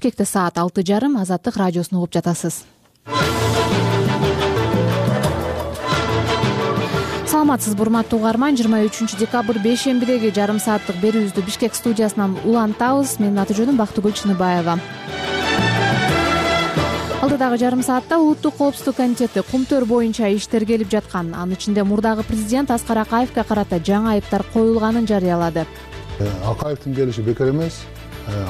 Бишкекте саат 6:30 Азаттык радиосун угуп жатасыз. Саламатсызбы урматтуу угарман, 23 декабрь бейшембидеги жарым сааттык берүүбүздү Бишкек студиясынан улантабыз. Менин аты жөнүм Бактыгүл Чыныбаева. Алдыдагы жарым саатта Улуттук коопсуздук комитети Кумтөр боюнча иштер келип жаткан, анын ичинде мурдагы президент Аскар Акаевге карата жаңы айыптар коюлганын жарыялады. Акаевдин келиши бекер эмес.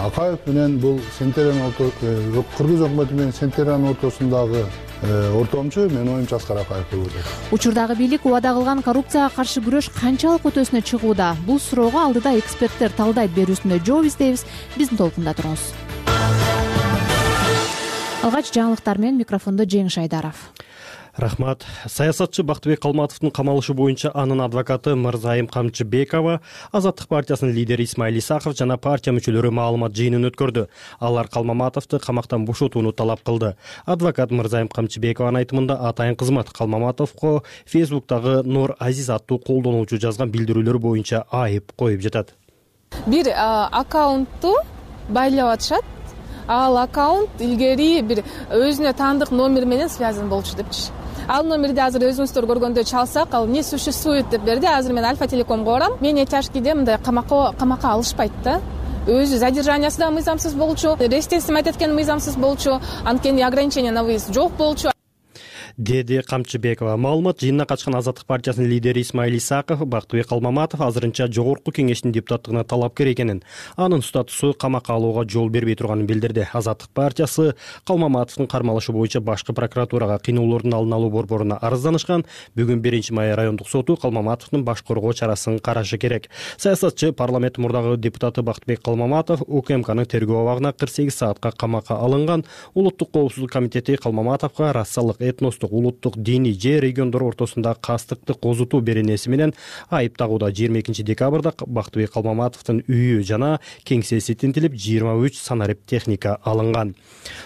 Акаев менен бул Кыргыз өкмөтү менен Сентериянын ортосундагы ортомчу менин оюмча Аскар Акаев болуп атат. Учурдагы бийлик убада кылган коррупцияга каршы күрөш канчалык өтөсүнө чыгууда? Бул суроого алдыда эксперттер талдайт берүүсүндө жооп издейбиз. Биздин толкунда туруңуз. Алгач жаңылыктар менен микрофондо Жеңиш Айдаров. Рахмат. Саясатчы Бактыбек Калматовдун камалышы боюнча анын адвокаты Мырзайым Камчыбекова, Азаттык партиясынын лидери Исмаил Исаков жана партия мүчөлөрү маалымат жыйынын өткөрдү. Алар Калмаматовду камактан бошотууну талап кылды. Адвокат Мырзайым Камчыбекованын айтымында атайын кызмат Калмаматовго Фейсбуктагы Нор Азиз аттуу колдонуучу жазган билдирүүлөр боюнча айып коюп жатат. Бир аккаунтту байлап атышат. Ал аккаунт илгери бир өзүнө таандык номер менен связан болчу депчи. Ал номерди азыр өзүңүздөр көргөндө чалсак, ал не существует деп берди. Азыр мен Альфа Телекомго барам. Менее тяжкийде мындай камакка алышпайт да. Өзү задержаниясы да мыйзамсыз болчу, рестесим айткан мыйзамсыз болчу, анткени ограничение на выезд жок болчу. Деди Камчыбекова. Маалымат жыйынына катышкан Азаттык партиясынын лидери Исмаил Исаков Бактыбек Калмаматов азырынча жогорку кеңештин депутаттыгына талапкер экенин, анын статусу камакка алууга жол бербей турганын билдирди. Азаттык партиясы Калмаматовдун кармалышы боюнча башкы прокуратурага кыйноолордун алдын алуу борборуна арызданышкан. Бүгүн 1-май райондук соту Калмаматовдун баш коргоо чарасын карашы керек. Саясатчы парламент мурдагы депутаты Бактыбек Калмаматов УКМКнын тергөө абагына 48 саатка камакка алынган. Улуттук коопсуздук комитети Калмаматовго расалык, этностук, улуттук, диний же региондор ортосунда кастыкты козутуу беренеси менен айып тагууда. 22 декабрда Бактыбек Калмаматовдун үйү жана кеңсеси тинтилип, 23 санарип техника алынган.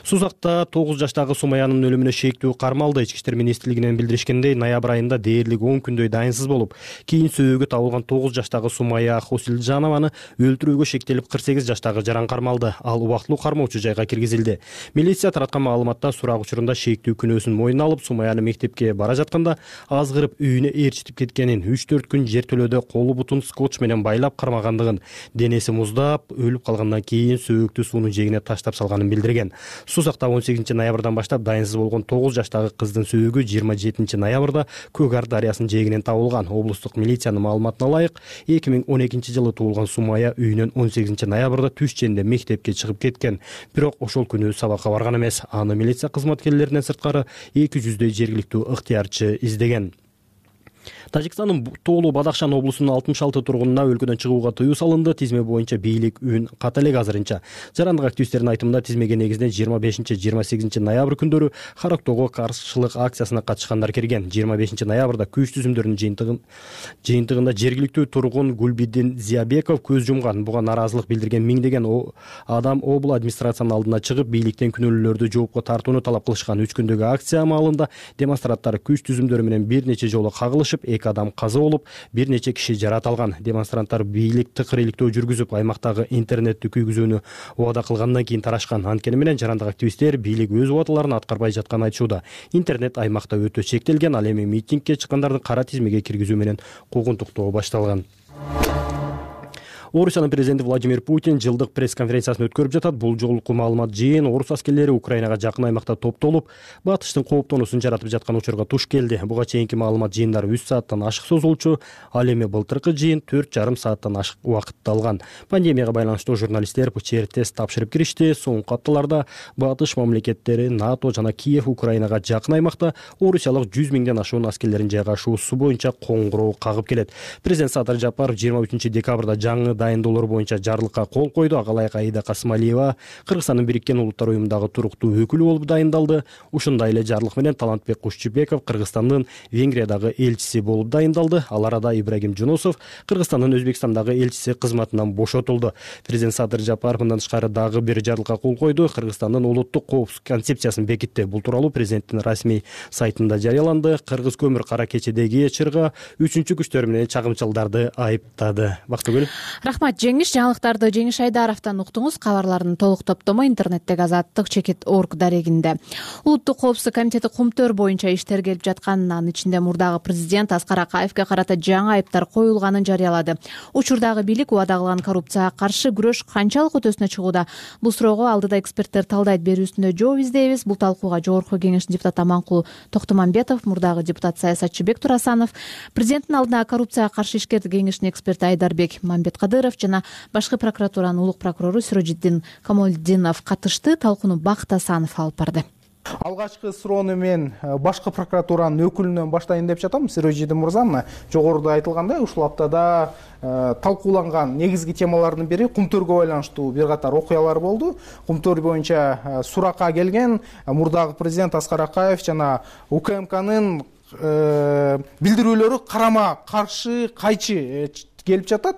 Сузакта 9 жаштагы Сумаянын өлүмүнө шектүү кармалды. Ички иштер министрлигинен билдиришкендей, ноябрь айында дээрлик 10 күндөй дайынсыз болуп, кийин сөөгү табылган 9 жаштагы Сумая Хосилжанованы өлтүрүүгө шектелип 48 жаштагы жаран кармалды. Ал убактылуу кармоочу жайга киргизилди. Милиция тараткан маалыматта сурак учурунда шектүү күнөөсүн мойнуна алып, Сумаяны мектепке бара жатканда азгырып үйүнө ээрчитип кеткенин, 3-4 күн жертөлөдө колу бутун скотч менен байлап кармагандыгын, денеси муздап өлүп калгандан кийин сөөктү суунун жээгине таштап салганын билдирген. Сузакта 18 ноябрдан баштап дайынсыз болгон 9 жаштагы кыздын сөөгү 27 ноябрда Көк Ар дарыясынын жээгинен табылган. Облустук милициянын маалыматына ылайык, 2012 жылы туулган Сумая үйүнөн 18 ноябрда түш ченинде мектепке чыгып кеткен. Бирок ошол күнү сабакка барган эмес. Аны милиция кызматкерлеринен сырткары 200 жергиликтүү ыктыярчы издеген. Тажикстандын Тоолу Бадахшан облусунун 66 тургунуна өлкөдөн чыгууга тыюу салынды. Тизме боюнча бийлик үн ката элек азырынча. Жарандык активисттердин айтымында тизмеге негизинен 25-28 ноябрь күндөрү Характоого каршылык акциясына катышкандар кирген. 25 ноябрда күч түзүмдөрүнүн жыйынтыгында жергиликтүү тургун Гулбидин Зиябеков көз жумган. Буга нааразылык билдирген миңдеген адам обл администрациянын алдына чыгып, бийликтен күнөөлүүлөрдү жоопко тартууну талап кылышкан. 3 күндөгү акция маалында демонстранттар күч түзүмдөрү менен бир нече жолу кагылышып, 2 адам каза болуп, бир нече киши жараталган. Демонстранттар бийлик тыкыр иликтөө жүргүзүп, аймактагы интернетти күйгүзүүнү убада кылгандан кийин тарашкан. Анткени менен жарандык активисттер бийлик өз убадаларын аткарбай жатканын айтышууда. Интернет аймакта өтө чектелген. Ал эми митингге чыккандардын кара тизмеге киргизүү менен куугунтуктоо башталган. Орусиянын президенти Владимир Путин жылдык пресс-конференциясын өткөрүп жатат. Бул жолку маалымат жыйын орус аскерлери Украинага жакын аймакта топтолуп, батыштын кооптонуусун жаратып жаткан учурга туш келди. Буга чейинки маалымат жыйындары 3 сааттан ашык созулчу. Ал эми былтыркы жыйын 4,5 сааттан ашык убакытты алган. Пандемияга байланыштуу журналисттер ПЧР-тест тапшырып киришти. Соңку апталарда батыш мамлекеттери, НАТО жана Киев Украинага жакын аймакта орусиялык 100 миңден ашуун аскерлерин жайгашуусу боюнча коңгуроо кагып келет. Президент Садыр Жапаров 23 декабрда жаңы дайындоолор боюнча жарлыкка кол койду. Агалайык Аида Касымалиева Кыргызстандын Бириккен Улуттар уюмундагы туруктуу өкүлү болуп дайындалды. Ушундай эле жарлык менен Талантбек Кушчубеков Кыргызстандын Венгриядагы элчиси болуп дайындалды. Ал арада Ибрагим Жунусов Кыргызстандын Өзбекстандагы элчиси кызматынан бошотулду. Президент Садыр Жапаров мындан тышкары дагы бир жарлыкка кол койду. Кыргызстандын улуттук коопсуздук концепциясын бекитти. Бул тууралуу президенттин расмий сайтында жарыяланды. Кыргыз көмүр кара кечедеги чырга 3-күчтөр менен чагымчылдарды айыптады. Бактыгүл. Рахмат Жеңиш. Жаңылыктарды Жеңиш Айдаровдон уктуңуз. Кабарлардын толук топтому интернеттеги Азаттык-Чекит.org дарегинде. Улуттук коопсуздук комитети кумтөр боюнча иш тергелип жатканын, анын ичинде мурдагы президент Аскар Акаевге карата жаңы айыптар коюлганын жарыялады. Учурдагы бийлик убада кылган коррупцияга каршы күрөш канчалык өтөсүнө чыгууда? Бул суроого алдыда эксперттер талдайт берүүсүндө жооп издейбиз. Бул талкууга Жогорку Кеңештин депутаты Аманкул Токтомамбетов, мурдагы депутат саясатчы Бек Турасанов, президенттин алдына коррупцияга каршы ишкер кеңешинин эксперти Айдарбек Мамбеткадыров жана башкы прокуратуранын улук прокурору Сирожиддин Камолдинов катышты. Талкууну Бакыт Асанов алып барды. Алгачкы суроону мен башкы прокуратуранын өкүлүнөн баштайын деп жатам. Сирожидин мырза, мына жогоруда айтылгандай, ушул аптада талкууланган негизги темалардын бири кумтөргө байланыштуу бир катар окуялар болду. Кумтөр боюнча суракка келген мурдагы президент Аскар Акаев жана УКМКнын билдирүүлөрү карама каршы кайчы келип жатат.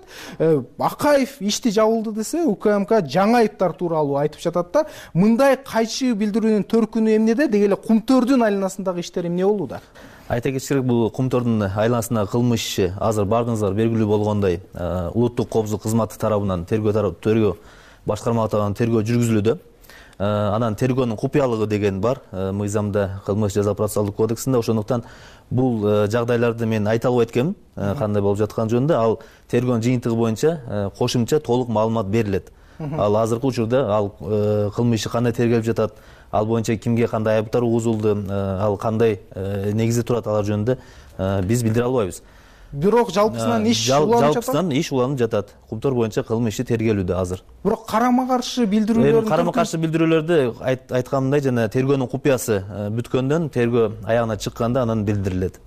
Акаев ишти жабылды десе, УКМК жаңы айыптар тууралуу айтып жатат да. Мындай кайчы билдирүүнүн төркүнү эмнеде? Деги эле кумтөрдүн айланасындагы иштер эмне болууда? Айта кетиш керек, бул кумтөрдүн айланасындагы кылмыш иши азыр бардыгыңызга белгилүү болгондой, улуттук коопсуздук кызматы тарабынан тергөө башкарма тарабынан тергөө жүргүзүлүүдө. Анан тергөөнүн купуялыгы деген бар мыйзамда, кылмыш жаза процессуалдык кодексинде. Ошондуктан бул жагдайларды мен айта албайт экенмин, кандай болуп жатканы жөнүндө. Ал тергөөнүн жыйынтыгы боюнча кошумча толук маалымат берилет. Ал азыркы учурда ал кылмыш иши кандай тергелип жатат, ал боюнча кимге кандай айыптар угузулду, ал кандай негизде турат, алар жөнүндө биз билдире албайбыз. Бирок жалпысынан иш уланып жатат. Жалпысынан иш уланып жатат. Кумтөр боюнча кылмыш иши тергелүүдө азыр. Бирок карама каршы билдирүүлөр, билдирүүлөрдү айтканымдай жана тергөөнүн купуясы бүткөндөн, тергөө аягына чыкканда анан билдирилет.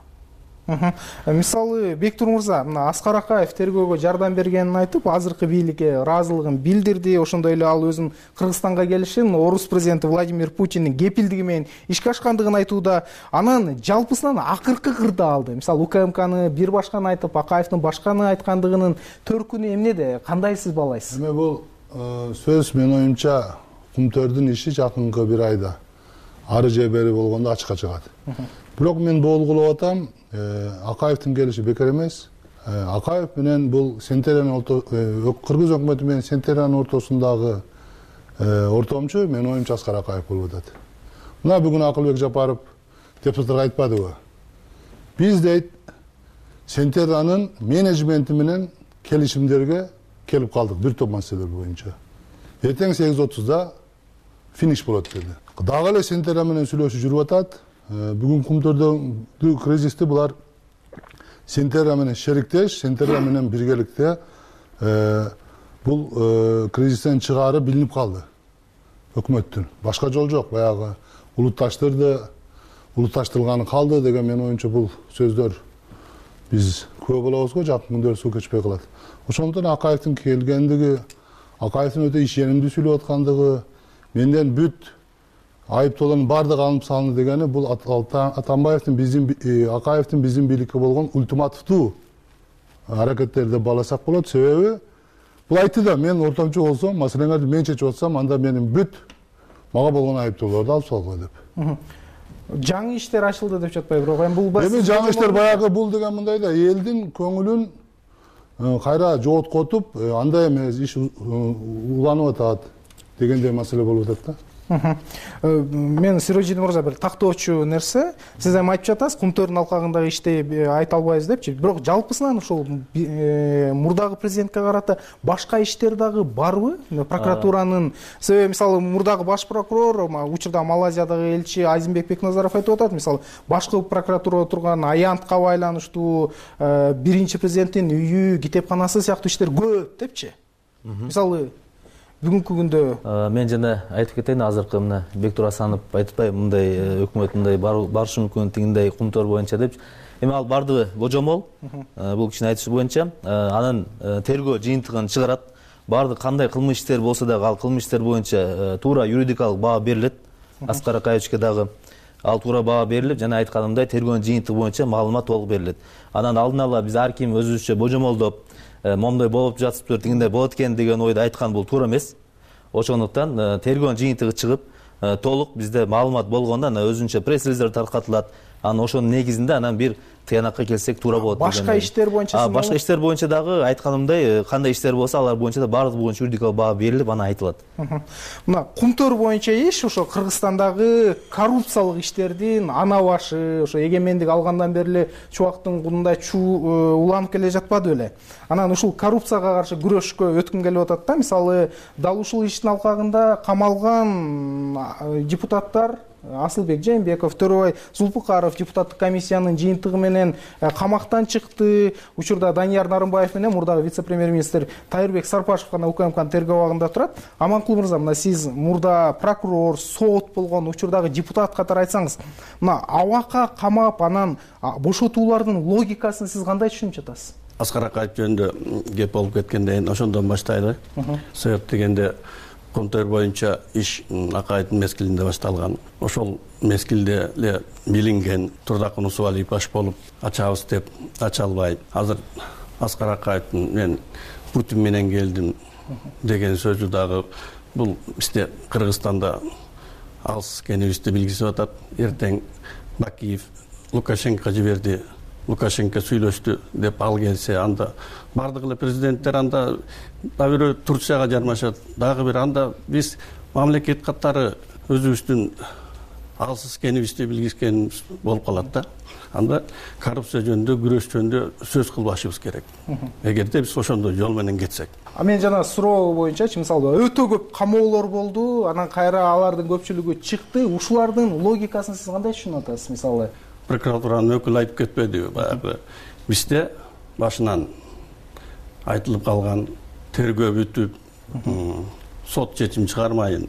Мисалы, Бектур мырза, мына Аскар Акаев тергөөгө жардам бергенин айтып, азыркы бийликке ыраазылыгын билдирди. Ошондой эле ал өзүнүн Кыргызстанга келишин орус президенти Владимир Путиндин кепилдиги менен ишке ашкандыгын айтууда. Анан жалпысынан акыркы кырда алды. Мисалы, УКМКны бир башканы айтып, Акаевдин башканы айткандыгынын төркүнү эмнеде? Кандай сиз баалайсыз? Эми бул сөз менин оюмча кумтөрдүн иши жакынкы бир айда ары же бери болгондо ачыкка чыгат. Бирок мен болгулап атам, Акаевдин келиши бекер эмес. Акаев менен бул Кыргыз өкмөтү менен Сентериянын ортосундагы ортомчу менин оюмча Аскар Акаев болуп атат. Мына бүгүн Акылбек Жапаров депутаттарга айтпадыбы? Биз дейт Сентериянын менеджменти менен келишимдерге келип калдык бир топ маселелер боюнча. Эртең 8:30 финиш болот деди. Дагы эле Сентерия менен сүйлөшүү жүрүп атат. Бүгүн кумтөрдөгү кризисти булар Сентерия менен шериктеш, Сентерия менен биргеликте бул кризистен чыгаары билинип калды өкмөттүн. Башка жол жок. Баягы улутташтырылганы калды деген менин оюмча бул сөздөр биз күбө болобуз го, жакын күндөрдө суу кечпей калат. Ошондуктан Акаевдин келгендиги, Акаевдин өтө ишенимдүү сүйлөп аткандыгы, менден бүт айыптоолордун баардыгы алынып салынды дегени бул Акаевдин биздин бийликке болгон ультимативдүү аракеттерди бааласак болот. Себеби бул айтты да, мен ортомчу болсом, маселеңерди мен чечип атсам, анда менин бүт мага болгон айыптоолорду алып салгыла деп. Жаңы иштер ачылды деп жатпайбы? Бирок эми бул эми жаңы иштер баягы бул деген мындай да, элдин көңүлүн кайра жооткотуп, андай эмес, иш уланып атат дегендей маселе болуп атат да. Мен Сирожидин мырза бир тактоочу нерсе, сиз эми айтып жатасыз, кумтөрдүн алкагындагы ишти айта албайбыз депчи. Бирок жалпысынан ушул мурдагы президентке карата башка иштер дагы барбы? Прокуратуранын, себеби мисалы мурдагы баш прокурор, учурда Малайзиядагы элчи Айзенбек Бекназаров айтып атат, мисалы башкы прокуратурада турган аянтка байланыштуу биринчи президенттин үйү, китепканасы сыяктуу иштер көп депчи. Мисалы бүгүнкү күндө мен жана айтып кетейин, азыркы мына Бектур Асанов айтпай, мындай өкмөт мындай барышы мүмкүн тигиндей кумтөр боюнча депчи. Эми ал бардыгы божомол, бул кишинин айтышы боюнча, анын тергөө жыйынтыгын чыгарат. Бардык кандай кылмыш иштер болсо дагы ал кылмыш иштер боюнча туура юридикалык баа берилет. Аскар Акаевичке дагы ал туура баа берилип, жана айтканымдай тергөөнүн жыйынтыгы боюнча маалымат толук берилет. Анан алдын ала биз ар ким өзүбүзчө божомолдоп, момдой болуп жатыптыр, тигиндей болот экен деген ойду айткан бул туура эмес. Ошондуктан тергөөнүн жыйынтыгы чыгып, толук бизде маалымат болгондо өзүнчө пресс-релиздер таркатылат, анан ошонун негизинде анан бир тыянакка келсек туура болот. Башка иштер боюнча башка иштер боюнча дагы айтканымдай кандай иштер болсо алар боюнча да баардыгы боюнча юридикалык баа берилип анан айтылат. Мына Кумтөр боюнча иш ошо Кыргызстандагы коррупциялык иштердин ана башы, ошо эгемендик алгандан бери эле чубактын кунундай уланып келе жатпады беле. Анан ушул коррупцияга каршы күрөшкө өткүм келип атат да. Мисалы, дал ушул иштин алкагында камалган депутаттар Асылбек Жээнбеков, Төрөбай Зулпукаров депутаттык комиссиянын жыйынтыгы менен камактан чыкты. Учурда Данияр Нарымбаев менен мурдагы вице-премьер-министр Тайырбек Сарпашев гана УКМКнын тергөө абагында турат. Аманкул мырза, мына сиз мурда прокурор, сот болгон учурдагы депутат катары айтсаңыз, мына абакка камап анан бошотуулардын логикасын сиз кандай түшүнүп жатасыз? Аскар Акаев жөнүндө кеп болуп кеткенден ошондон баштайлы. Себеп дегенде Кумтөр боюнча иш Акаевдин мезгилинде башталган. Ошол мезгилде эле билинген Турдакын Усубалиев баш болуп ачабыз деп ача албай, азыр Аскар Акаевдин мен Путин менен келдим деген сөзү дагы бул бизде Кыргызстанда алыс экенибизди билгизип атат. Эртең Бакиев Лукашенко жиберди, Лукашенко сүйлөштү деп ал келсе, анда бардык эле президенттер анда дагы бирөө Турцияга жармашат, дагы бир анда биз мамлекет катары өзүбүздүн алсыз экенибизди билгизген болуп калат да. Анда коррупция жөнүндө, күрөш жөнүндө сөз кылбашыбыз керек. Эгерде биз ошондой жол менен кетсек. Мен жана суроо боюнчачы, мисалы, өтө көп камоолор болду, анан кайра алардын көпчүлүгү чыкты. Ушулардын логикасын сиз кандай түшүнүп атасыз? Мисалы, прокуратуранын өкүлү айтып кетпедиби баягы бизде башынан айтылып калган, тергөө бүтүп, сот чечим чыгармайын,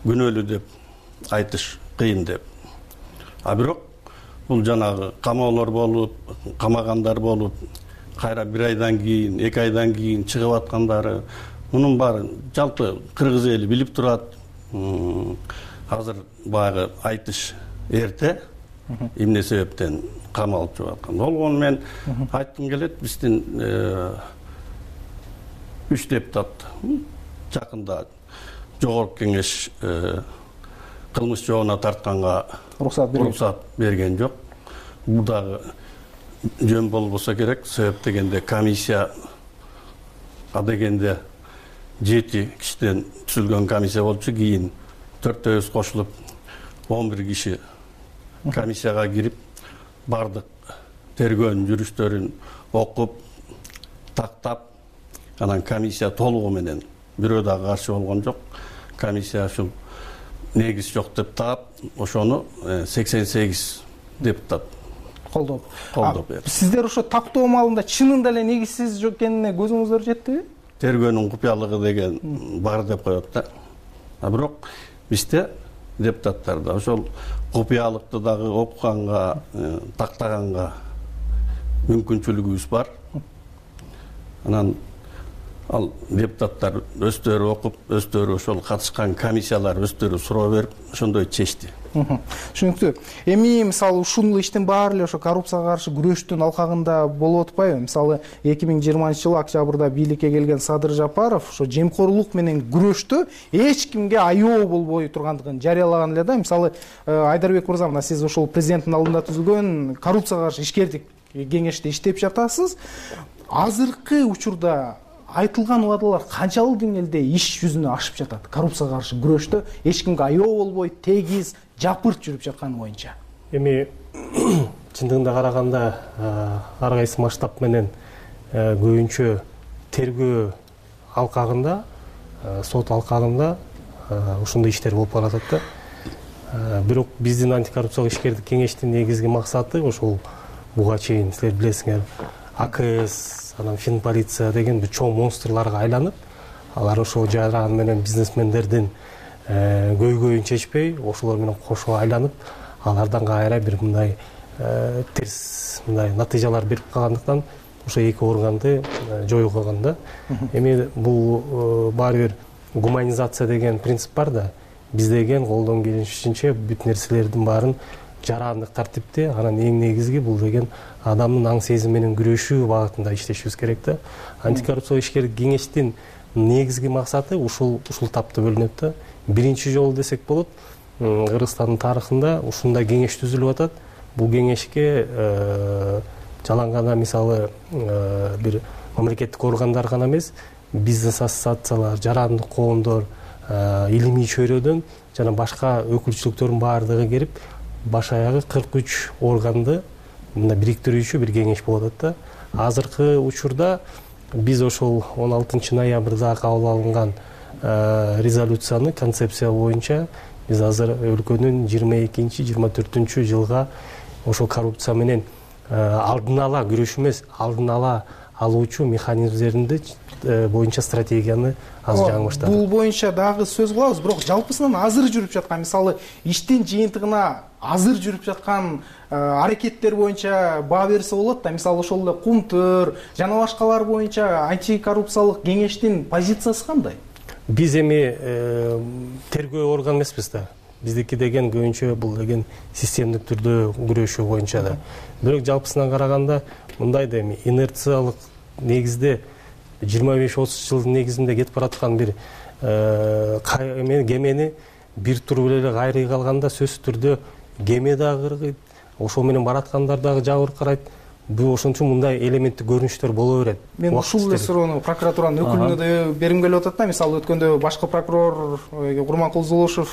күнөөлүү деп айтыш кыйын деп. А бирок бул жанагы камоолор болуп, камагандар болуп, кайра бир айдан кийин, 2 айдан кийин чыгып аткандары, мунун баары жалпы кыргыз эли билип турат. Азыр баягы айтыш эрте, эмне себептен камалып жүрүп аткан. Болгону мен айткым келет, биздин 3 депутат жакында Жогорку Кеңеш кылмыш жообуна тартканга уруксат берген жок. Бул дагы жөн болбосо керек. Себеп дегенде комиссия дегенде 7 кишиден түзүлгөн комиссия болчу, кийин 4 кошулуп 11 киши комиссияга кирип, бардык тергөөнүн жүрүштөрүн окуп, тактап, анан комиссия толугу менен бирөө дагы каршы болгон жок. Комиссия ушул негиз жок деп таап, ошону 88 депутат колдоп берди. Сиздер ошо тактоо маалында чынында эле негизсиз экенине көзүңүздөр жеттиби? Тергөөнүн купуялыгы деген бар деп коет да. А бирок бизде депутаттарда ошол купуялыкты дагы окуганга, тактаганга мүмкүнчүлүгүбүз бар. Анан ал депутаттар өздөрү окуп, өздөрү ошол катышкан комиссиялар өздөрү суроо берип, ошондой чечти. Түшүнүктүү. Эми мисалы ушул иштин баары эле ошо коррупцияга каршы күрөштүн алкагында болуп атпайбы? Мисалы 2020-жылы октябрда бийликке келген Садыр Жапаров ошо жемкорлук менен күрөштө эч кимге аяоо болбой тургандыгын жарыялаган эле да. Мисалы Айдарбек мырза, мына сиз ошол президенттин алдында түзүлгөн коррупцияга каршы ишкердик кеңеште иштеп жатасыз. Азыркы учурда айтылган убадалар канчалык деңгээлде иш жүзүнө ашып жатат? Коррупцияга каршы күрөштө эч кимге аяоо болбой, тегиз, жапырт жүрүп жатканы боюнча. Эми чындыгында караганда ар кайсы масштаб менен көбүнчө тергөө алкагында, сот алкагында ушундай иштер болуп баратат да. Бирок биздин антикоррупциялык ишкердик кеңештин негизги максаты ошол буга чейин силер билесиңер, АКС, анан Финполиция деген бир чоң монстрларга айланып, алар ошол жаран менен бизнесмендердин көйгөйүн чечпей, ошолор менен кошо айланып, алардан кайра бир мындай терс мындай натыйжалар берип калгандыктан ошо эки органды жоюп койгон да. Эми бул баары бир гуманизация деген принцип бар да. Биз деген колдон келишинче бүт нерселердин баарын жарандык тартипте, анан эң негизги бул деген адамдын аң сезими менен күрөшүү багытында иштешибиз керек да. Антикоррупциялык ишкердик кеңештин негизги максаты ушул тапта бөлүнөт да. Биринчи жолу десек болот, Кыргызстандын тарыхында ушундай кеңеш түзүлүп атат. бул кеңешке жалаң гана мисалы бир мамлекеттик органдар гана эмес, бизнес ассоциациялар, жарандык коомдор, илимий чөйрөдөн жана башка өкүлчүлүктөрдүн баардыгы келип, баш аягы 43 органды мына бириктирүүчү бир кеңеш болуп атат да. Азыркы учурда биз ошол 16 ноябрда кабыл алынган резолюцияны, концепция боюнча биз азыр өлкөнүн 22-24 жылга ошол коррупция менен алдын ала күрөшүү эмес, алдын ала алуучу механизмдеринди боюнча стратегияны азыр жаңы баштадык. Бул боюнча дагы сөз кылабыз, бирок жалпысынан азыр жүрүп жаткан, мисалы иштин жыйынтыгына азыр жүрүп жаткан аракеттер боюнча баа берсе болот да. Мисалы ошол эле Кумтөр жана башкалар боюнча антикоррупциялык кеңештин позициясы кандай? Биз эми тергөө орган эмеспиз да. Биздики деген көбүнчө бул деген системдик түрдө күрөшүү боюнча да. Бирок жалпысынан караганда мындай да, эми инерциялык негизде 25-30 жылдын негизинде кетип бараткан бир кемени бир тур эле кайрый калганда сөзсүз түрдө кеме дагы кыргыйт, ошол менен бараткандар дагы жабыркайт. Бул ошон үчүн мындай элементтик көрүнүштөр боло берет. Мен ушул эле суроону прокуратуранын өкүлүнө да бергим келип атат да. Мисалы өткөндө башкы прокурор Курманкул Зулушев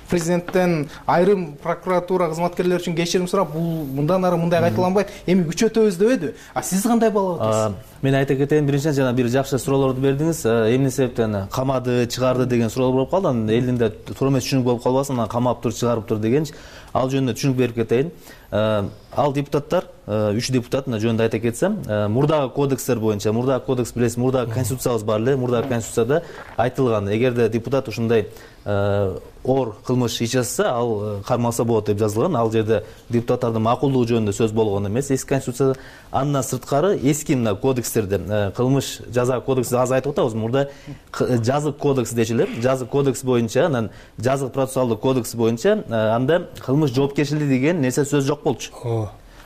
президенттен айрым прокуратура кызматкерлери үчүн кечирим сурап, бул мындан ары мындай кайталанбайт, эми күчөтөбүз дебеди. Сиз кандай баалап атасыз? Мен айта кетейин, биринчиден жана бир жакшы суроолорду бердиңиз. Эмне себептен камады, чыгарды деген суроолор болуп калды. Анан элдин туура эмес түшүнүк болуп калбасын, анан камаптыр, чыгарыптыр деген. Ал жөнүндө түшүнүк берип кетейин. Ал депутаттар, 3 депутат жөнүндө айта кетсем, мурдагы кодекстер боюнча, мурдагы кодекс билесиз, мурдагы конституциябыз бар эле, мурдагы конституцияда айтылган, эгерде депутат ушундай оор кылмыш иш жасаса, ал кармалса болот деп жазылган. Ал жерде депутаттардын макулдугу жөнүндө сөз болгон эмес, эски конституцияда. Андан сырткары эски мына кодекстерде кылмыш жаза кодекси азыр айтып атабыз, мурда жазык кодекс дечи элем. Жазык кодекс боюнча, анан жазык процессуалдык кодекс боюнча анда кылмыш жоопкерчилиги деген нерсе сөз жок болчу.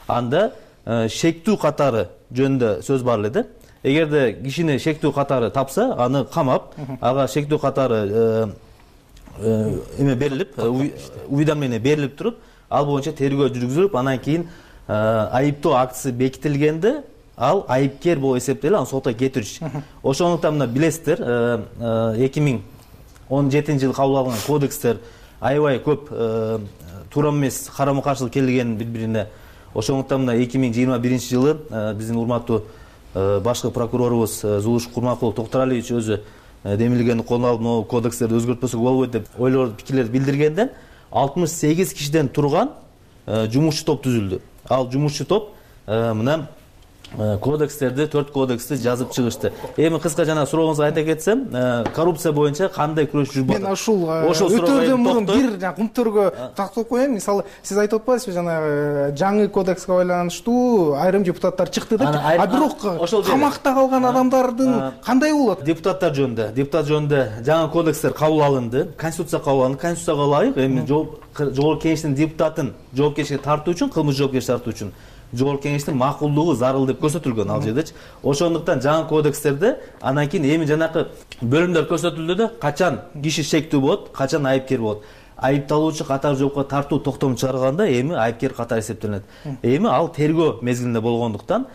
Анда шектүү катары жөнүндө сөз бар эле да. Эгерде кишини шектүү катары тапса, аны камап, ага шектүү катары эме берилип, уведомление берилип туруп, ал боюнча тергөө жүргүзүлүп, анан кийин айыптоо актысы бекитилгенде ал айыпкер болуп эсептелип, аны сотко кетириш. Ошондуктан мына билесиздер, 2017-жылы кабыл алынган кодекстер аябай көп туура эмес, карама каршылык келген бири-бирине. Ошондуктан мына 2021-жылы биздин урматтуу башкы прокурорубуз Зулуш Курманкулов Токтуралиевич өзү демилгенди колуна алып, могу кодекстерди өзгөртпөсөк болбойт деп ойлор, пикирлерди билдиргенден 68 кишиден турган жумушчу топ түзүлдү. Ал жумушчу топ мына кодекстерди, 4 кодексти жазып чыгышты. Эми кыска жана сурооңузга айта кетсем, коррупция боюнча кандай күрөш жүрүп атат? Мен ушул өтөрдөн мурун бир Кумтөргө такталып коеюн. Мисалы, сиз айтып атпайсызбы, жана жаңы кодекске байланыштуу айрым депутаттар чыкты деп. Бирок камакта калган адамдардын кандай болот? Депутат жөнүндө жаңы кодекстер кабыл алынды, конституция кабыл алынды, конституцияга ылайык эми жогорку кеңештин депутатын жоопкерчиликке тартуу үчүн, кылмыш жоопкерчиликке тартуу үчүн жогорку кеңештин макулдугу зарыл деп көрсөтүлгөн ал жердечи. Ошондуктан жаңы кодекстерде анан кийин эми жанакы бөлүмдөр көрсөтүлдү да, качан киши шектүү болот, качан айыпкер болот. Айыпталуучу катар жоопко тартуу токтом чыгарганда эми айыпкер катары эсептелет. Эми ал тергөө мезгилинде болгондуктан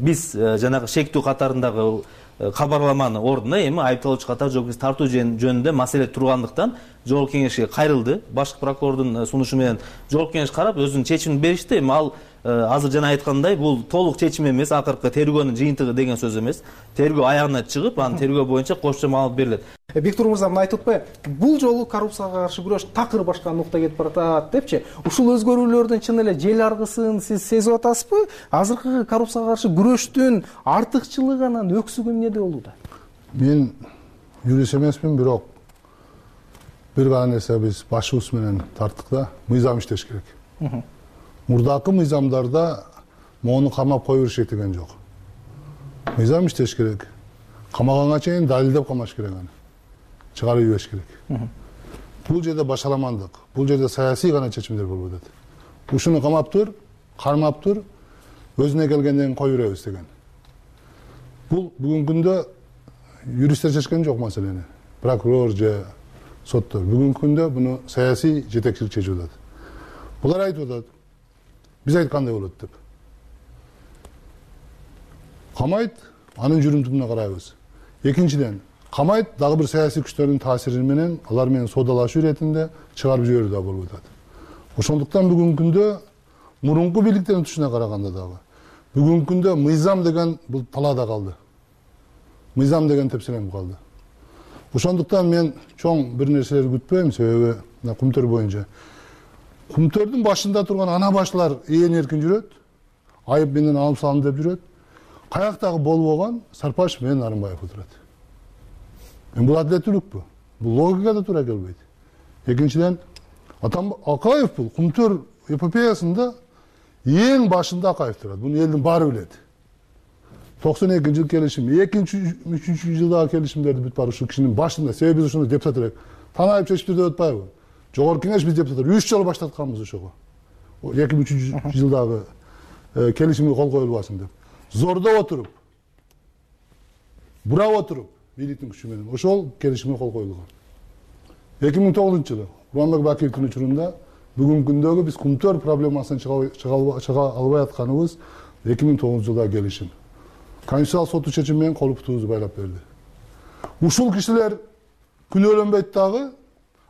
биз жанагы шектүү катарындагы кабарламанын ордуна эми айыпталуучу катары жоопкерчиликке тартуу жөнүндө маселе тургандыктан жогорку кеңешке кайрылды. Башкы прокурордун сунушу менен жогорку кеңеш карап өзүнүн чечимин беришти. Эми ал азыр жана айткандай, бул толук чечим эмес, акыркы тергөөнүн жыйынтыгы деген сөз эмес. Тергөө аягына чыгып, анан тергөө боюнча кошумча маалымат берилет. Бектур мырза, мына айтып атпайбы, бул жолу коррупцияга каршы күрөш такыр башка нукта кетип баратат депчи. Ушул өзгөрүүлөрдүн чын эле жел аргысын сиз сезип атасызбы? Азыркы коррупцияга каршы күрөштүн артыкчылыгы, анан өксүгү эмнеде болууда? Мен юрист эмесмин, бирок бир гана нерсе биз башыбыз менен тарттык да, мыйзам иштеш керек. Мурдакы мыйзамдарда мону камап кое беришет деген жок. Мыйзам иштеш керек. Камаганга чейин далилдеп камаш керек аны. Чыгарып ийбеш керек. Бул жерде башаламандык, бул жерде саясий гана чечимдер болуп атат. Ушуну камап тур, кармап тур, өзүнө келгенден кое беребиз деген. Бул бүгүнкү күндө юристтер чечкен жок маселени. Прокурор же соттор. Бүгүнкү күндө буну саясий жетекчилик чечип атат. Булар айтып атат, биз айткандай болот деп. Камайт, анын жүрүм-турумуна карайбыз. Экинчиден, камайт дагы бир саясий күчтөрдүн таасири менен алар менен соодалашуу иретинде чыгарып жиберүү да болуп атат. Ошондуктан бүгүнкү күндө мурунку бийликтердин тушуна караганда дагы бүгүнкү күндө мыйзам деген бул талаада калды. Мыйзам деген тепселенип калды. Ошондуктан мен чоң бир нерселерди күтпөйм, себеби Кумтөр боюнча Кумтөрдүн башында турган ана башлар ээн эркин жүрөт, айып менен алым салым деп жүрөт. Каяктагы болбогон Сарпашев менен Нарымбаев отурат. Бул адилеттүүлүкпү? Бул логикада туура келбейт. Экинчиден, Акаев бул Кумтөр эпопеясында эң башында Акаев турат. Буну элдин баары билет. 92-жыл келишим, 2-3 жылдагы келишимдерди бүт бар ушул кишинин башында. Себеби биз ушуну депутат элек. Танаев чечип деп атпайбы? Жогорку кеңеш биз депутаттар 3 жолу баштатканбыз ошого. 2-3 жылдагы келишимге кол коюлбасын деп. Зордо отуруп, бурап отуруп, бийликтин күчү менен ошол келишимге кол коюлган. 2009-жылы Курманбек Бакиевдин учурунда бүгүнкү күндөгү биз Кумтөр проблемасынан чыга албай атканыбыз 2009-жылдагы келишим. Конституциялык соттун чечими менен кол бутубузду байлап берди. Ушул кишилер күнөөлөнбөйт дагы,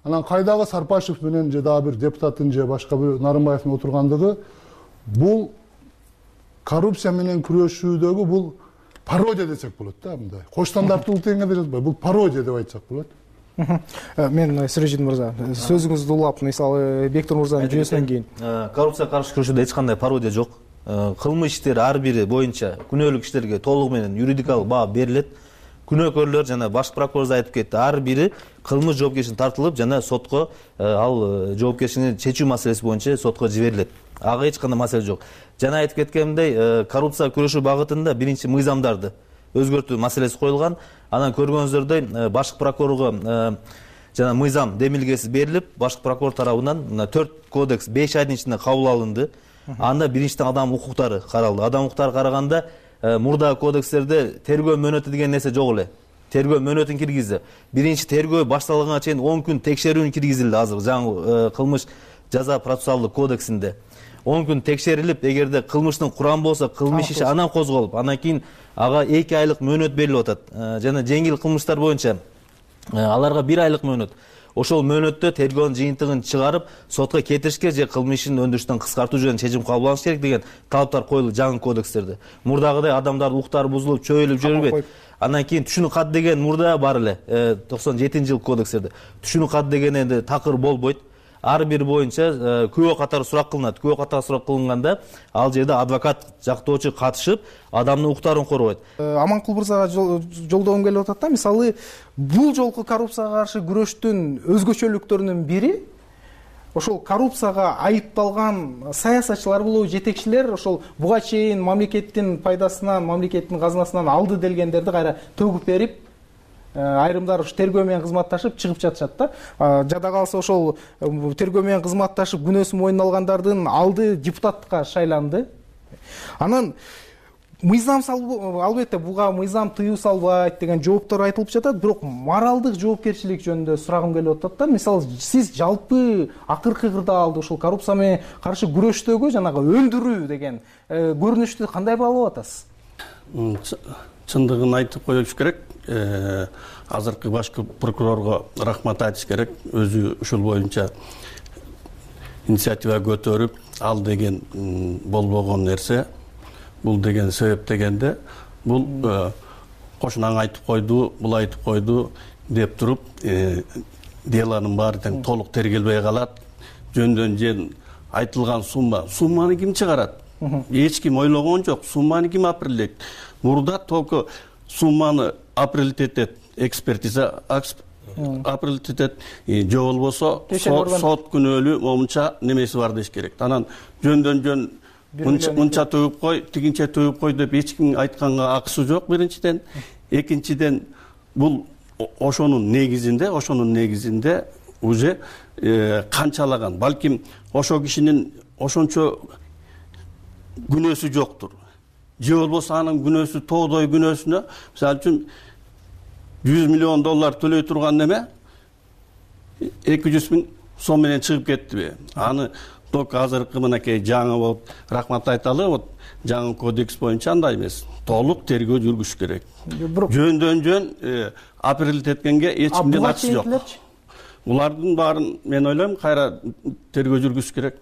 анан кайдагы Сарпашев менен же дагы бир депутаттын же башка бир Нарымбаевдин отургандыгы бул коррупция менен күрөшүүдөгү бул пародия десек болот да, мындай. Кош стандарттуулук дегенге жатпай, бул пародия деп айтсак болот. Мен Сироджидин мырза, сөзүңүздү улап, мисалы Бектур мырзанын жүйөсүнөн кийин коррупцияга каршы күрөшүүдө эч кандай пародия жок. Кылмыш иштер ар бири боюнча күнөөлүү кишилерге толугу менен юридикалык баа берилет. Күнөөкөрлөр жана баш прокурор айтып кетти, ар бири кылмыш жоопкерчилигине тартылып жана сотко ал жоопкерчилигин чечүү маселеси боюнча сотко жиберилет. Ага эч кандай маселе жок. Жана айтып кеткендей, коррупцияга күрөшүү багытында биринчи мыйзамдарды өзгөртүү маселеси коюлган. Анан көргөнүңүздөрдөй башкы прокурорго жана мыйзам демилгеси берилип, башкы прокурор тарабынан 4 кодекс 5 айдын ичинде кабыл алынды. Анда биринчиден адам укуктары каралды. Адам укуктары караганда мурдагы кодекстерде тергөө мөөнөтү деген нерсе жок эле. Тергөө мөөнөтүн киргизди. Биринчи тергөө башталганга чейин 10 күн текшерүүнү киргизилди азыр жаңы кылмыш жаза процессуалдык кодексинде. 10 күн текшерилип, эгерде кылмыштын курамы болсо, кылмыш иши анан козголуп, андан кийин ага 2 айлык мөөнөт берилип атат. Жана жеңил кылмыштар боюнча аларга 1 айлык мөөнөт. Ошол мөөнөттө тергөөнүн жыйынтыгын чыгарып, сотко кетиришке же кылмыштын өндүрүштөн кыскартуу жөнүндө чечим кабыл алыш керек деген талаптар коюлду жаңы кодекстерде. Мурдагыдай адамдардын укуктары бузулуп, чөйүлүп жүрбөйт. Андан кийин түшүнүү кат деген мурда бар эле 97-жылы кодекстерде. Түшүнүү кат деген энди такыр болбойт. Ар бир боюнча күбө катары сурак кылынат. Күбө катары сурак кылынганда ал жерде адвокат жактоочу катышып, адамдын укуктарын коргойт. Аманкул мырзага жолдогум келип атат да, мисалы бул жолку коррупцияга каршы күрөштүн өзгөчөлүктөрүнүн бири ошол коррупцияга айыпталган саясатчылар болобу, жетекчилер ошол буга чейин мамлекеттин пайдасынан, мамлекеттин казынасынан алды делгендерди кайра төгүп берип, айрымдар ушу тергөө менен кызматташып чыгып жатышат да. Жада калса ошол тергөө менен кызматташып күнөөсүн мойнуна алгандардын алды депутаттыкка шайланды. Анан мыйзам албетте буга мыйзам тыюу салбайт деген жооптор айтылып жатат, бирок моралдык жоопкерчилик жөнүндө сурагым келип атат да. Мисалы сиз жалпы акыркы кырдаалды ушул коррупция менен каршы күрөштөгү жанагы өндүрүү деген көрүнүштү кандай баалап атасыз? Чындыгын айтып коюш керек. Азыркы башкы прокурорго рахмат айтыш керек. Өзү ушул боюнча инициатива көтөрүп, ал деген болбогон нерсе. Бул деген себеп дегенде, бул кошунаң айтып койду, бул айтып койду деп туруп, делонун баары тең толук тергелбей калат. Жөндөн айтылган сумманы ким чыгарат? Эч ким ойлогон жок. Сумманы ким апрелдейт? Мурда только сумманы апрелдейт этет экспертиза, апрелдейт этет, же болбосо сот күнөөлүү момунча немеси бар деш керек. Анан жөндөн мынча төгүп кой, тигинче төгүп кой деп эч ким айтканга акысы жок биринчиден. Экинчиден бул ошонун негизинде уже канчалаган, балким ошо кишинин ошончо күнөөсү жоктур. Же болбосо анын күнөөсү тоодой күнөөсүнө, мисалы үчүн $100 миллион төлөй турган неме 200 000 сом менен чыгып кеттиби? Аны только азыркы мынакей жаңы болуп рахмат айталы, вот жаңы кодекс боюнча андай эмес, толук тергөө жүргүзүш керек. Жөндөн жөн апрель эткенге эч кимдин акысы жок. Булардын баарын мен ойлойм кайра тергөө жүргүзүш керек.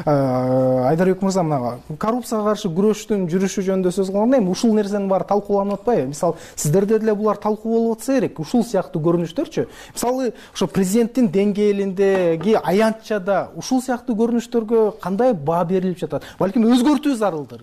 Айдарбек мырза, мына коррупцияга каршы күрөштүн жүрүшү жөнүндө сөз кылганда эми ушул нерсенин баары талкууланып атпайбы? Мисалы, сиздерде деле булар талкуу болуп атса керек. Ушул сыяктуу көрүнүштөрчү. Мисалы, ошо президенттин деңгээлиндеги аянтчада ушул сыяктуу көрүнүштөргө кандай баа берилип жатат? Балким өзгөртүү зарылдыр.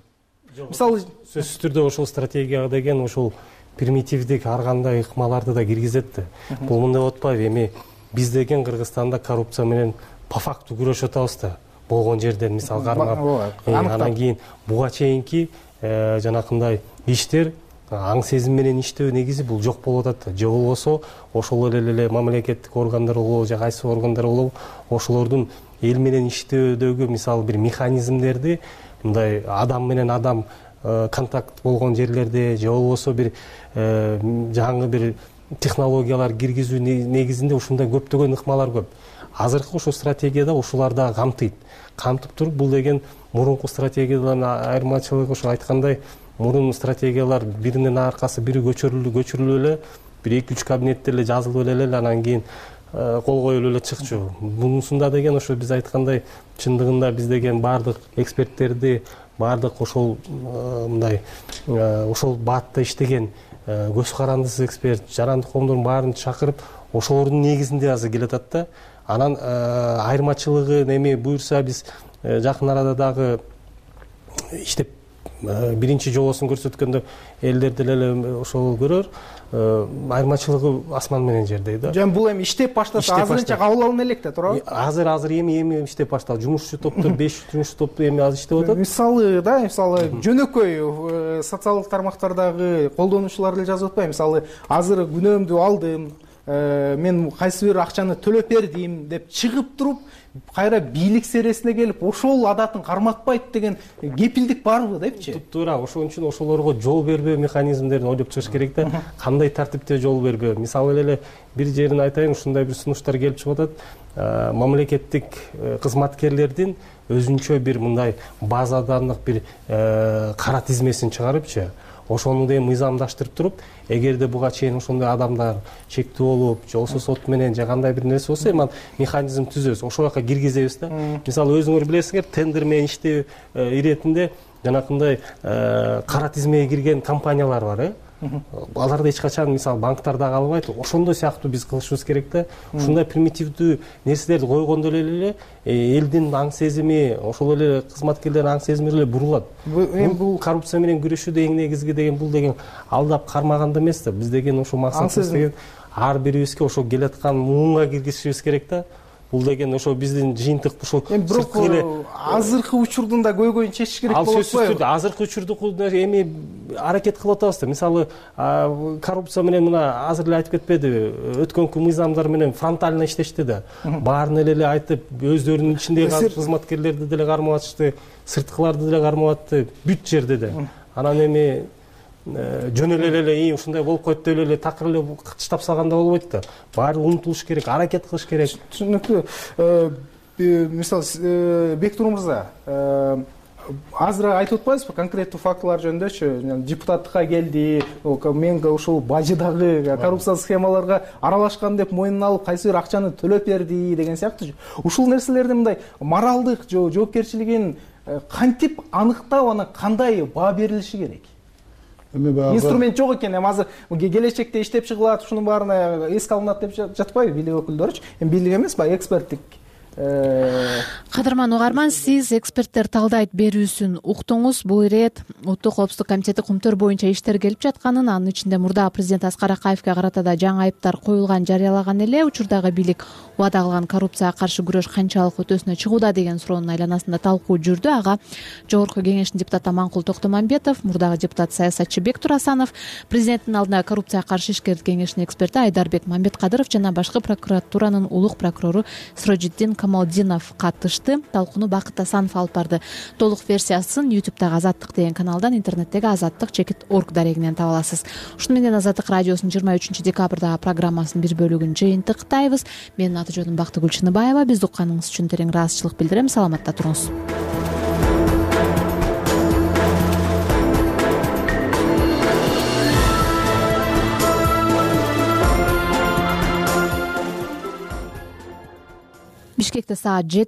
Мисалы, сөзсүз түрдө ошол стратегияга деген ошол примитивдик ар кандай ыкмаларды да киргизет да. Бул мындай болуп атпайбы? Эми биз деген Кыргызстанда коррупция менен по факту күрөшүп атабыз да. Болгон жерден мисал кармап, анан кийин буга чейинки жанакындай иштер аң сезим менен иштөө негизи бул жок болуп атат да. Же болбосо ошол эле мамлекеттик органдар болобу, же кайсы органдар болобу, ошолордун эл менен иштөөдөгү мисалы бир механизмдерди мындай адам менен адам контакт болгон жерлерде, же болбосо бир жаңы бир технологиялар киргизүү негизинде ушундай көптөгөн ыкмалар көп. Азыркы ошо стратегияда ушулар да камтып туруп, бул деген мурунку стратегиядан айырмачылыгы ошо айткандай, мурун стратегиялар биринин аркасы бири көчүрүлүп эле, бир 2-3 кабинетте эле жазылып эле, анан кийин кол коюлуп эле чыкчу. Мунусунда деген ошо биз айткандай, чындыгында биз деген баардык эксперттерди, баардык ошол мындай ошол баатта иштеген көз карандысыз эксперт, жарандык коомдордун баарын чакырып, ошолордун негизинде азыр келатат да. Анан айырмачылыгы эми буюрса биз жакын арада дагы иштеп биринчи жолосун көрсөткөндө элдер деле ошол көрөр. Айырмачылыгы асман менен жердей да. Жөн бул эми иштеп баштаса азырынча кабыл алына элек да, туурабы? Азыр эми иштеп башталды. Жумушчу топтор 5 жумушчу топ эми азыр иштеп атат. Мисалы жөнөкөй социалдык тармактардагы колдонуучулар эле жазып атпайбы? Мисалы, азыр күнөөмдү алдым, мен кайсы бир акчаны төлөп бердим деп чыгып туруп, кайра бийлик сересине келип, ошол адатын карматпайт деген кепилдик барбы депчи? Туура, ошон үчүн ошолорго жол бербөө механизмдерин ойлоп чыгыш керек да. Кандай тартипте жол бербөө? Мисалы эле бир жерин айтайын, ушундай бир сунуштар келип чыгып атат. Мамлекеттик кызматкерлердин өзүнчө бир мындай базадандык бир кара тизмесин чыгарыпчы, ошону да мыйзамдаштырып туруп, эгерде буга чейин ошондой адамдар чектүү болуп, же болбосо сот менен же кандай бир нерсе болсо, эми механизм түзөбүз, ошол жака киргизебиз да. Мисалы, өзүңөр билесиңер, тендер менен иштөө иретинде жанакындай кара тизмеге кирген компаниялар бар, аларды эч качан мисалы банктарда калбайт. Ошондой сыяктуу биз кылышыбыз керек да. Ушундай примитивдүү нерселерди койгондо эле элдин аң сезими, ошол эле кызматкерлердин аң сезими эле бурулат. Бул коррупция менен күрөшүүдө эң негизги деген бул деген алдап кармаганда эмес да. Биз деген ошо максатыбыз деген ар бирибизге ошо келаткан муунга киргизишибиз керек да. Бул деген ошо биздин жыйынтык ушул сырткы эле азыркы учурдун да көйгөйүн чечиш керек болот. Ал сөзсүз түрдө азыркы учурду эми аракет кылып атабыз да. Мисалы, коррупция менен мына азыр эле айтып кетпедиби, өткөнкү мыйзамдар менен фронтально иштешти да. Баарын эле айтып, өздөрүнүн ичиндеги кызматкерлерди деле кармап атышты, сырткыларды деле кармап атты, бүт жерде да. Анан эми жөн эле ушундай болуп койт деп эле такыр эле кычтап салганда болбойт да. Баары умтулуш керек, аракет кылыш керек. Түшүнүктүү. Мисалы, Бектур мырза, азыр айтып атпайсызбы конкреттүү фактылар жөнүндөчү? Депутаттыкка келди, мен ушул бажыдагы коррупциялык схемаларга аралашкан деп мойнуна алып, кайсы бир акчаны төлөп берди деген сыяктуу. Ушул нерселердин мындай моралдык жоопкерчилигин кантип аныктап, анан кандай баа берилиши керек? Инструмент жок экен, эми азыр келечекте иштеп чыгылат, ушунун баарына эске алынат деп жатпайбы бийлик өкүлдөрүчү? Эми бийлик эмес, баягы эксперттик. Кадырман угарман, сиз эксперттер талдайт берүүсүн уктуңуз. Бул ирет Улуттук коопсуздук комитети кумтөр боюнча иштер келип жатканын, анын ичинде мурдагы президент Аскар Акаевге карата да жаңы айыптар коюлган жарыялаган эле. Учурдагы бийлик убада кылган коррупцияга каршы күрөш канчалык өтөсүнө чыгууда деген суроонун айланасында талкуу жүрдү. Ага Жогорку кеңештин депутаты Аманкул Токтомамбетов, мурдагы депутат саясатчы Бектур Асанов, президенттин алдында коррупцияга каршы ишкерлик кеңешинин эксперти Айдарбек Мамбеткадыров жана башкы прокуратуранын улук прокурору Сирожиддин Камалдинов катышты. чыкты. Талкууну Бакыт Асанов алып барды. Толук версиясын YouTube'дагы Азаттык деген каналдан, интернеттеги azattik.org дарегинен таба аласыз. Ушуну менен Азаттык радиосунун 23 декабрдагы программасынын бир бөлүгүн жыйынтыктайбыз. Менин аты жөнүм Бактыгүл Чыныбаева. Бизди укканыңыз үчүн терең ыраазычылык билдирем. Саламатта туруңуз. Бишкекте саат 7